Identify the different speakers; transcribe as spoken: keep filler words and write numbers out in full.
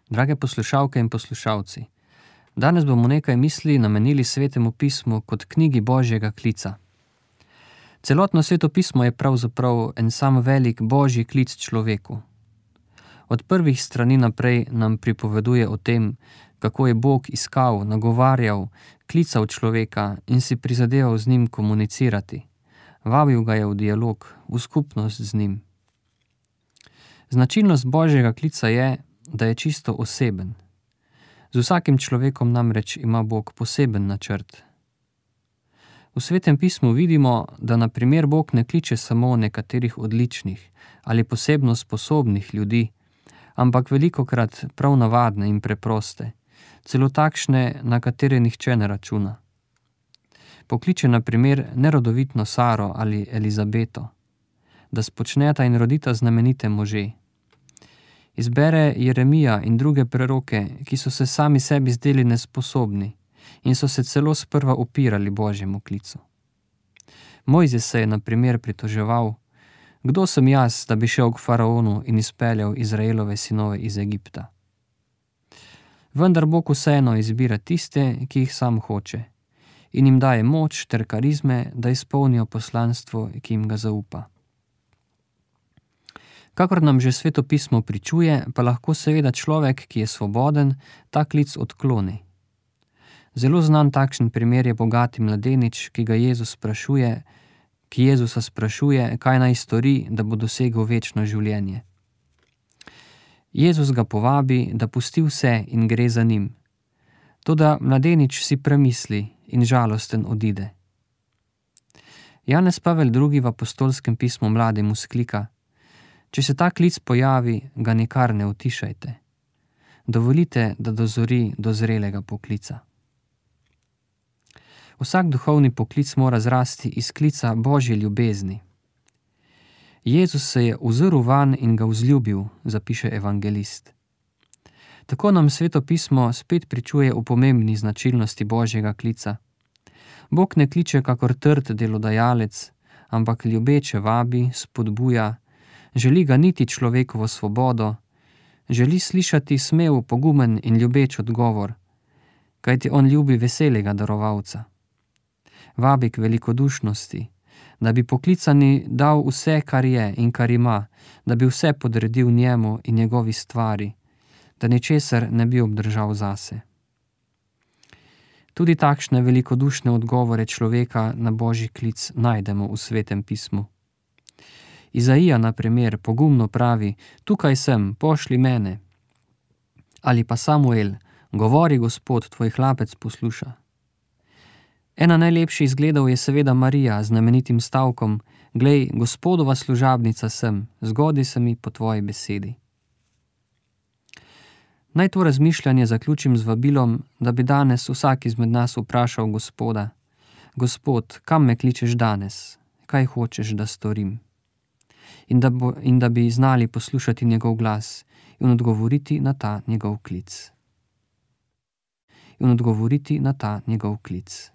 Speaker 1: Drage poslušalke in poslušalci, danes bomo nekaj misli namenili Svetemu pismu kot knjigi Božjega klica. Celotno Sveto pismo je pravzaprav en sam velik Božji klic človeku. Od prvih strani naprej nam pripoveduje o tem, kako je Bog iskal, nagovarjal, klical človeka in si prizadeval z njim komunicirati. Vabil ga je v dialog, v skupnost z njim. Značilnost Božjega klica je, da je čisto oseben. Z vsakim človekom namreč ima Bog poseben načrt. V Svetem pismu vidimo, da na primer Bog ne kliče samo nekaterih odličnih ali posebno sposobnih ljudi, ampak velikokrat prav navadne in preproste, celo takšne, na katere nihče ne računa. Pokliče na primer nerodovitno Saro ali Elizabeto, da spočneta in rodita znamenite može. Izbere Jeremija in druge preroke, ki so se sami sebi zdeli nesposobni in so se celo sprva upirali Božjemu klicu. Mojzes se je na primer pritoževal: kdo sem jaz, da bi šel k faraonu in izpeljal Izraelove sinove iz Egipta? Vendar Bog vseeno izbira tiste, ki jih sam hoče, in jim daje moč ter karizme, da izpolnijo poslanstvo, ki jim ga zaupa. Kakor nam že Sveto pismo pričuje, pa lahko seveda človek, ki je svoboden, ta klic odkloni. Zelo znan takšen primer je bogati mladenič, ki ga Jezus sprašuje, ki Jezusa sprašuje, kaj naj stori, da bo dosegel večno življenje. Jezus ga povabi, da pusti vse in gre za njim. Toda mladenič si premisli in žalosten odide. Janez Pavel drugi v apostolskem pismu mladim vzklika: če se ta klic pojavi, ga nikar ne utišajte. Dovolite, da dozori do zrelega poklica. Vsak duhovni poklic mora zrasti iz klica Božje ljubezni. Jezus se je ozrl vanj in ga vzljubil, zapiše evangelist. Tako nam Sveto pismo spet pričuje o pomembni značilnosti Božjega klica. Bog ne kliče kakor trd delodajalec, ampak ljubeče vabi, spodbuja, želi ganiti človekovo svobodo, želi slišati smel, pogumen in ljubeč odgovor, kajti on ljubi veselega darovalca. Vabi k velikodušnosti, da bi poklicani dal vse, kar je in kar ima, da bi vse podredil njemu in njegovi stvari, da ničesar ne bi obdržal zase. Tudi takšne velikodušne odgovore človeka na Božji klic najdemo v Svetem pismu. Izaija, na primer, pogumno pravi: tukaj sem, pošli mene. Ali pa Samuel: govori, Gospod, tvoj hlapec posluša. Ena najlepših izgledov je seveda Marija z znamenitim stavkom: glej, Gospodova služabnica sem, zgodi se mi po tvoji besedi. Naj to razmišljanje zaključim z vabilom, da bi danes vsak izmed nas vprašal Gospoda: Gospod, kam me kličeš danes? Kaj hočeš, da storim? In da, bo, in da bi znali poslušati njegov glas in odgovoriti na ta njegov klic. In odgovoriti na ta njegov klic.